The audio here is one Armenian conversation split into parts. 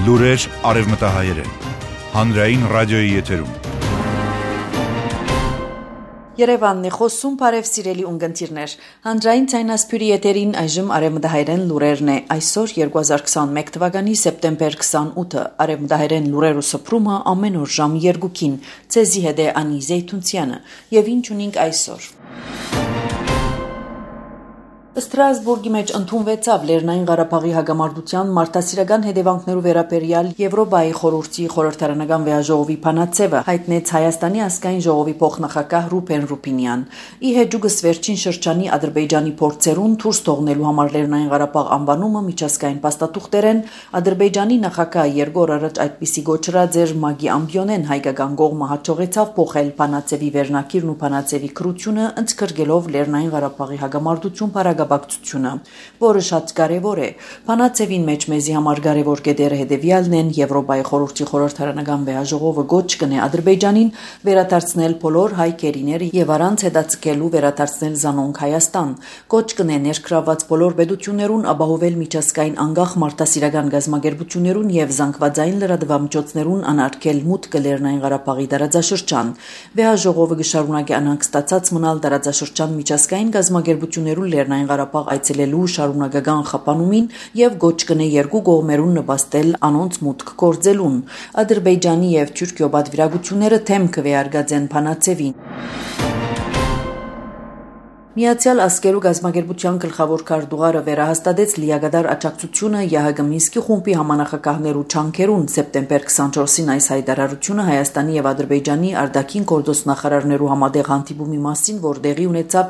Լուրեր արևմտահայերեն, հանրային ռադիոյի եթերում։ Երևանն է խոսում, բարև սիրելի ունգընտիրներ։ Հանրային ցայնասփյուրի եթերին այժմ արևմտահայերեն լուրերն է։ Այսօր 2021 թվականի սեպտեմբեր 28-ը արևմտահայերեն լուրերու սփռումը ամեն օր ժամ 2-ին։ Ցեզի հետ է Անի Զեյթունցյանը։ Եվ ինչ ունենք այսօր։ Ստրասբուրգի մեջ ընդունվեցավ Լեռնային Ղարաբաղի հագամարտության մարդասիրական հետևանքներու վերաբերյալ Եվրոպայի խորհրդի խորհրդարանական վեաժողովի փանացևը, հայտնեց Հայաստանի ազգային ժողովի փոխնախագահ Ռուբեն Ռուբինյան։ Ի հեճուկս վերջին շրջանի Ադրբեջանի փորձերուն դուրս թողնելու համար Լեռնային Ղարաբաղ անվանումը միջազգային փաստաթուղթերեն Ադրբեջանի նախագահ երկու օր առաջ այդպիսի գոչրած էր Մագի Ամբյոնեն հայկական կողմը հաջողեցավ փոխել փանացևի վերնակիրն ու փանացևի քրությունը ընդգրկելով Լեռնային Ղարաբաղի հագամարտություն բակցությունը, որը շատ կարևոր է։ Փանացևին մեջ մեզի համար կարևոր կետերը հետևյալն են՝ Եվրոպայի խորհրդի խորհրդարանական վեաժողովը գոչ կնե Ադրբեջանին վերադարձնել բոլոր հայ կերիները եւ առանց հետաձգելու վերադարձնել զանոնք Հայաստան։ Գոչ կնե ներգրավված բոլոր պետություններուն ապահովել միջազգային անկախ մարդասիրական գազམ་ագերբություններուն եւ զանգվածային լրատվամիջոցներուն անարգել մուտքը Լեռնային Ղարաբաղի տարածաշրջան։ Վեաժողովը կշարունակի անհանգ ստացած մնալ տարածաշրջան միջազգային գազམ་ագերբություններուն Լեռնային Ղարաբաղ այցելելու շարունակական խափանումին եւ գոչ կնե երկու կողմերուն նպաստել անոնց մուտք գործելուն։ Ադրբեջանի եւ Թուրքիո պատվիրակությունները թեմ կվեարկածեն փանացևին։ Միացյալ Ազգերու գազམ་ագերբության գլխավոր քարտուղարը վերահաստատեց լիագադար աջակցությունը ԵՀԳ Մինսկի խումբի համանախագահներու չանքերուն սեպտեմբեր 24-ին այս հայտարարությունը Հայաստանի եւ Ադրբեջանի արտաքին գործոս նախարարներու համատեղ հանդիպումի մասին, որ տեղի ունեցավ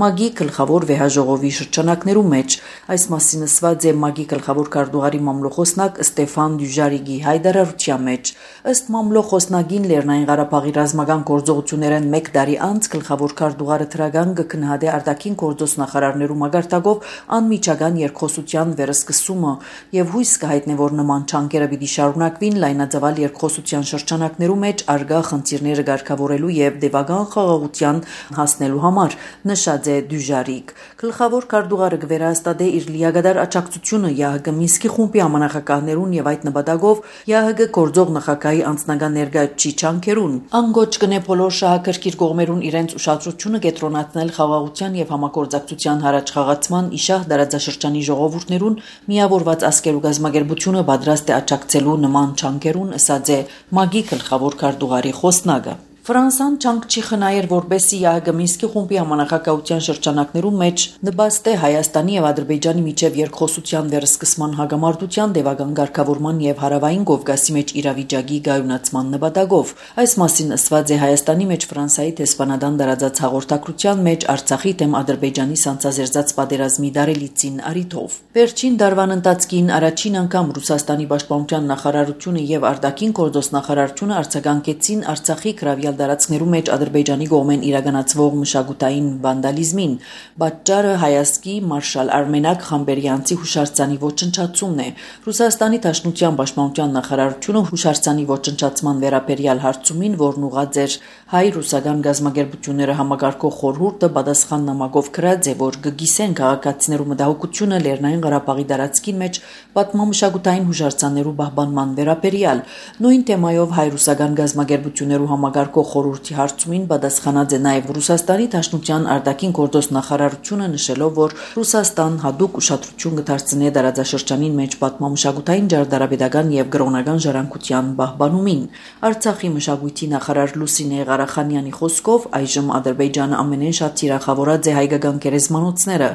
ՄԱԳ-ի գլխավոր վեաժողովի շրջանակներու մեջ։ Այս մասին ասված է ՄԱԳ-ի գլխավոր քարտուղարի մամլոխոսնակ Ստեփան Դյուժարիգի հայտարարության մեջ։ Ըստ մամլոխոսնագին Լեռնային Ղարաբաղի ռազմական գործողություններն 1 տարի անց գլխավոր քարտուղարը թրագան կքննադե արտաքին գործոս նախարարներու մագարտակով անմիջական երկխոսության վերսկսումը եւ հույս կհայտնի, որ նման չանկերը պիտի շարունակվին լայնածավալ երկխոսության շրջանակներու մեջ արգա խնդիրները ղեկավարելու եւ դեպական խաղաղության հասնելու համար, նշած է Դյուժարիգ։ Գլխավոր քարտուղարը կվերահաստատե իր լիագադար աջակցությունը ԵՀԳ Մինսկի խումբի համանախագահներուն եւ այդ նպատակով ԵՀԳ գործող նախագահի անձնական ներկայացուցիչ չանքերուն։ Անգոչ կնե բոլոր շահակրկիր կողմերուն իրենց ուշադրությունը կենտրոնացնել խաղաղության եւ համագործակցության հարաճխաղացման իշահ դարաձաշրջանի ժողովուրդներուն միավորված ազգերու գազམ་ագերբությունը պատրաստ է աջակցելու նման չանքերուն, ասած է ՄԱԳ-ի գլխավոր քարտուղարի խոսնակը։ Ֆրանսան չանք չի խնայեր, որբեսի ԵՀԳ Մինսկի խումբի համանախագահության շրջանակներու մեջ նպաստե Հայաստանի եւ Ադրբեջանի միջև երկխոսության վերսկսման հագամարտության դեպական ղեկավարման եւ հարավային Կովկասի մեջ իրավիճակի գայունացման նպատակով։ Այս մասին ասված է Հայաստանի մեջ Ֆրանսիայի դեսպանատան դարաձած հաղորդակցության մեջ Արցախի դեմ Ադրբեջանի սանձազերծած պատերազմի դարելիցին արիթով։ Վերջին դարվան ընթացքին առաջին անգամ Ռուսաստանի պաշտպանության նախարարությունը եւ արտաքին գործոս նախարարությունը արձագանքեցին Արցախի գրավյալ դարածքներու մեջ Ադրբեջանի կողմեն իրականացվող մշակութային վանդալիզմին։ Պատճառը հայազգի մարշալ Արմենակ Խամբերյանցի հուշարձանի ոչնչացումն է։ Ռուսաստանի Դաշնության պաշտպանության նախարարությունը հուշարձանի ոչնչացման վերաբերյալ հարցումին, որն ուղղած էր հայ-ռուսական գազམ་ագերբությունները համագարկող խորհուրդը պատասխան նամակով գրած է, որ կգիսեն քաղաքացիներու մտահոգությունը Լեռնային Ղարաբաղի դարածքին մեջ պատմամշակութային հուշարձաններու պահպանման վերաբերյալ։ Նույն թեմայով հայ-ռուսական գազམ་ագերբություններու համագարկող խորհրդի հարցումին պատասխանած է նաև Ռուսաստանի Դաշնության արտաքին գործոս նախարարությունը, նշելով, որ Ռուսաստան հատուկ ուշադրություն կդարձնի տարածաշրջանին մեջ պատմամշակութային ջարդարապետական եւ կրոնական ժառանգության պահպանումին։ Արցախի մշակույթի նախարար Լուսինե Ղարախանյանի խոսքով այժմ Ադրբեջանը ամենեն շատ թիրախավորած է հայկական գերեզմանոցները։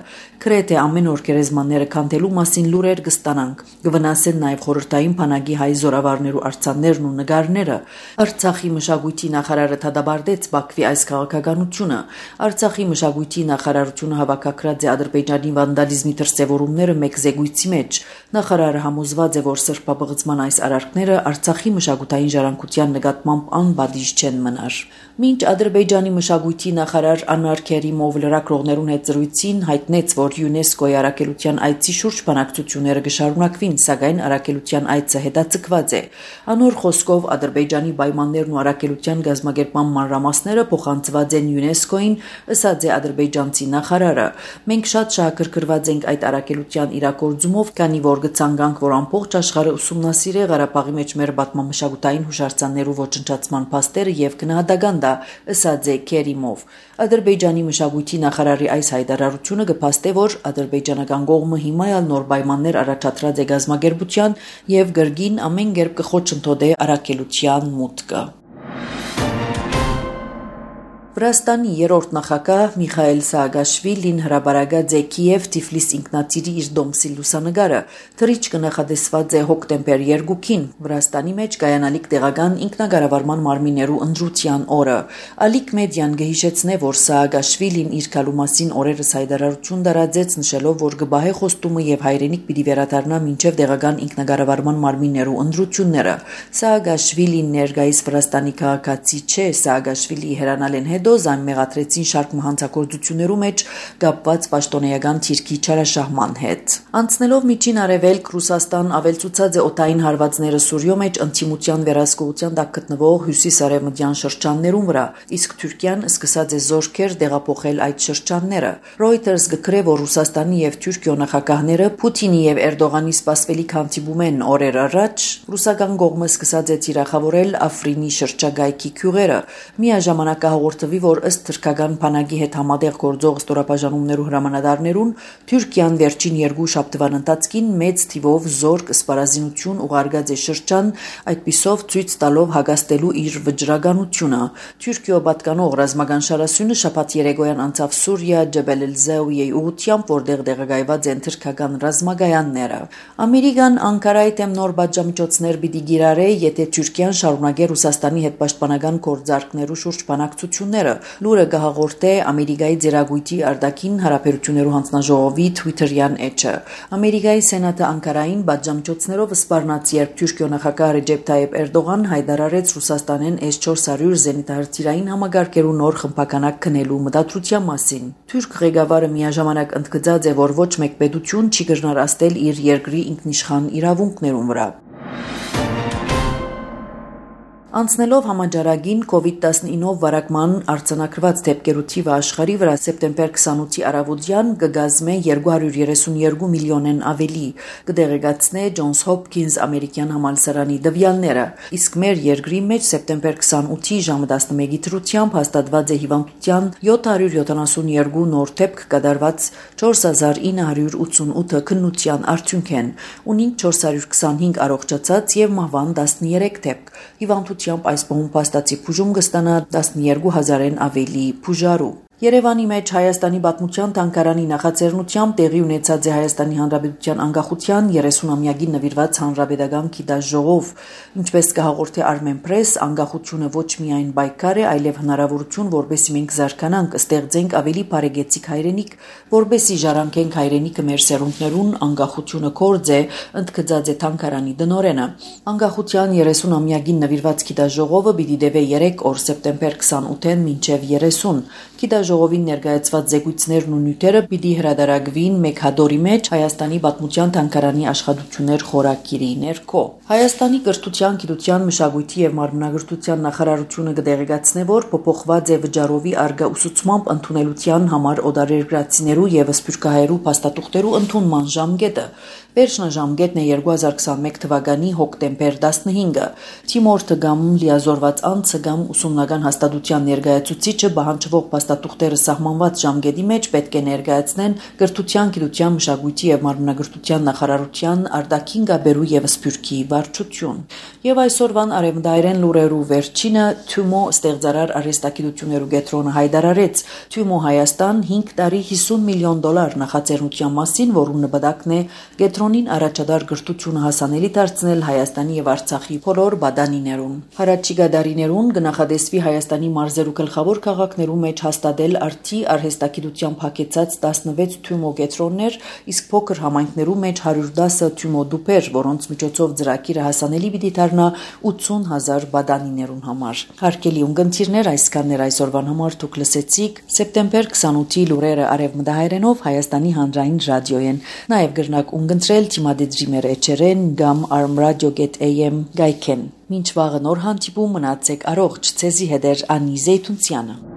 Գրեթե ամեն օր գերեզմանները քանդելու մասին լուրեր կստանանք։ Կվնասեն նաև խորհրդային բանակի հայ զորավարներու արձաններն ու նկարները։ Արցախի մշակույթի նախարարը դադարեցրեց Բաքվի այս քաղաքականությունը։ Արցախի մշակույթի նախարարությունը հավաքագրած է Ադրբեջանի վանդալիզմի դրսևորումները մեկ զեկույցի մեջ։ Նախարարը համոզված է, որ սրբապղծման այս արարքները Արցախի մշակութային ժառանգության նկատմամբ անպատիժ չեն մնար։ Մինչ Ադրբեջանի մշակույթի նախարար Անվար Քերիմով լրագրողներուն հետ զրույցին հայտնեց, որ ՅՈՒՆԵՍԿՕ-ի առաքելության այցի շուրջ բանակցությունները կշարունակվին, սակայն առաքելության այցը հետաձգված է։ Անոր խոսքով Ադրբեջանի պայմաններն ու առաքելության կազմակերպման մանրամասները փոխանցված են ՅՈՒՆԵՍԿՕ-ին, ըսած է ադրբեջանցի նախարարը։ Մենք շատ շահագրգռված ենք այդ առաքելության իրագործումով, քանի որ գցանկանք, որ ամբողջ աշխարհը ուսումնասիրի Ղարաբաղի մեջ մեր պատմամշակութային հուշարձաններու ոչնչացման փաստերը եւ գնահատական դա, ըսած է Քերիմով։ Ադրբեջանի մշակույթի նախարարի այս հայտարարությունը կփաստե, որ ադրբեջանական կողմը հիմա ալ նոր պայմաններ առաջադրած է գազམ་ագերբության եւ գրգին ամեն կերպ կխոչընդոտե առաքելության մուտքը։ Վրաստանի երրորդ նախագահ Միխայել Սաակաշվիլին հրաբարագած է Կիև Թիֆլիս ինքնաթիռի իր դոմսի լուսանգարը, թռիչքը նախադեсված է հոկտեմբեր 2-ին, Վրաստանի մեջ կայանալիք տեղական ինքնագարավարման մարմիններու ընտրության օրը։ Ալիք մեդիան գհիշեցնե, որ Սաակաշվիլին իր քալու մասին օրերս հայտարարություն դարածեց, նշելով, որ կբահե խոստումը եւ հայրենիք պիտի վերադառնա մինչեւ տեղական ինքնագարավարման մարմիններու ընտրությունները։ Սաակաշվիլին ներկայիս Վրաստանի քաղաքացի չէ, Սաակաշվիլի հերանալ են Դոզան մեղադրեցին շարք մահանցագործություններու մեջ կապված պաշտոնեական թիրքի չարաշահման հետ։ Անցնելով միջին արևելք Ռուսաստան ավելցուցած է օդային հարվածները Սուրիո մեջ ընդդիմության վերահսկողության տակ գտնվող հյուսիսարևմտյան շրջաններուն վրա, իսկ Թուրքիան սկսած է զորքեր տեղափոխել այդ շրջանները։ Reuters գկրե, որ Ռուսաստանի եւ Թուրքիո նախագահները Պուտինի եւ Էրդողանի սպասվելիք հանդիպում են օրեր առաջ, ռուսական կողմը սկսած է թիրախավորել Աֆրինի շրջագայքի քյուղերը։ Միաժամանակ հաղորդվի, որ ըստ թրքական բանակի հետ համատեղ գործող ստորաբաժանումներու հրամանատարներուն Թուրքիան վերջին 2 շաբթվան ընթացքին մեծ թիվով զորք սպառազինություն ուղարկած է շրջան, այդպիսով ցույց տալով հագաստելու իր վճռականությունը։ Թուրքիո պատկանող ռազմական շարասյունը շաբաթ երեկոյան անցավ Սուրիա Ջաբել el-Zawiya ուղությամբ, որտեղ տեղակայված են թրքական ռազմագայանները։ Ամերիկան Անկարայի դեմ նոր պատժամիջոցներ պիտի գիրառե, եթե Թուրքիան շարունակե Ռուսաստանի հետ պաշտպանական գործարքներու շուրջ բանակցություններ Լուրը կհաղորդե Ամերիկայի ձեռագույթի արտաքին հարաբերություններու հանձնաժողովի Twitter-յան էջը։ Ամերիկայի Սենատը Անկարային պատժամիջոցներով սպառնաց, երբ Թուրքիո նախագահ Ռեջեփ Թայիփ Էրդողան հայտարարեց Ռուսաստանեն S-400 զենիթահրթիռային համագարկերու նոր խմբականակ քնելու մտադրության մասին։ Թուրք ղեկավարը միաժամանակ ընդգծած է, որ ոչ մեկ պետություն չի կրնար աստել իր երկրի ինքնիշխան իրավունքներուն վրա։ Անցնելով համաճարակին COVID-19 վարակման արձանագրված դեպքերու թիվը աշխարհի վրա սեպտեմբեր 28-ի առավոտյան կգազմե 232 միլիոնեն ավելի, կդեղեկացնե Ջոնս Հոփքինս ամերիկյան համալսարանի տվյալները, իսկ մեր երկրի մեջ սեպտեմբեր 28-ի ժամը 11-ի դրությամբ հաստատված է հիվանդության 772 նոր դեպք կատարված 4988 քննության արդյունքեն, ունին 425 առողջացած եւ մահվան 13 դեպք։ Հիվանդությամբ այս բողոմ փաստացի բուժում կստանա 12,000-ն ավելի բուժարու։ Երևանի մեջ Հայաստանի պատմության թանգարանի նախաձեռնությամբ տեղի ունեցած է Հայաստանի Հանրապետության անկախության 30-ամյակին նվիրված հանրապետական գիտաժողով, ինչպես կհաղորդի Armenpress, անկախությունը ոչ միայն պայքար է, այլև հնարավորություն, որբեսի մենք զարգանանք, ստեղծենք ավելի բարեկեցիկ հայրենիք, որբեսի ժառանգենք հայրենիքը մեր սերունդներուն, անկախությունը կորձ է, ընդգծած է թանգարանի տնօրենը։ Անկախության 30-ամյակին նվիրված գիտաժողովը պիտի տևե 3 օր սեպտեմբեր 28-ին մինչև 30։ Գիտաժողովին ներկայացված զեկույցներն ու նյութերը պիտի հրադարագվին մեկ հատորի մեջ Հայաստանի պատմության թանգարանի աշխատություններ խորագիրի ներքո։ Հայաստանի կրթության, գիտության, մշակույթի եւ մարմնագրթության նախարարությունը կդեղեկացնե, որ փոփոխված է վճարովի արգա ուսուցմամբ ընդունելության համար օտարերկրացիներու եւ սփյուռքահայերու փաստաթուղթերու ընդունման ժամկետը։ Վերջնաժամկետն է 2021 թվականի հոկտեմբեր 15-ը։ Թիմորթը կամ լիազորված անձը կամ ուսումնական հաստատության ներկայացուցիչը պահանջվող փաստաթուղթերը սահմանված ժամկետի մեջ պետք է ներկայացնեն կրթության, գիտության, մշակույթի եւ մարմնագրթության նախարարության արտաքին գաբերու եւ սփյուռքի վարչություն։ Եվ այսօրվան արևմտայրեն լուրերու վերջինը Թումո ստեղծարար արհեստագիտություններու կենտրոնը հայտարարեց Թումո Հայաստան 5 տարի $50 միլիոն նախաձեռնության մասին, որում նպատակն է կենտրոնին առաջադար կրթությունը հասանելի դարձնել Հայաստանի եւ Արցախի բոլոր բադանիներուն։ Հարաճիգա դարիներուն կնախադեсվի Հայաստանի մարզերու գլխավոր քաղաքներու մեջ հաստատել արդի արհեստագիտությամբ հագեցած 16 Թումո կենտրոններ, իսկ փոքր համայնքներու մեջ 110 Թումո դուպեր, որոնց միջոցով ծրագիրը հասանելի պիտի դառնա 80,000 բադանիներուն համար։ Հարգելի ունկնդիրներ, այսքաններ այսօրվան համար դուք լսեցիք սեպտեմբեր 28-ի լուրերը արևմտահայերենով Հայաստանի հանրային ռադիոյեն։ Նաև գրնակ ունկնդրել զանգել Թիմադեդրի մեր էջերեն կամ armradio.am գայքեն։ Մինչ վաղը նոր հանդիպում, մնացեք առողջ, ցեզի հետ Անի Զեյթունցյանը։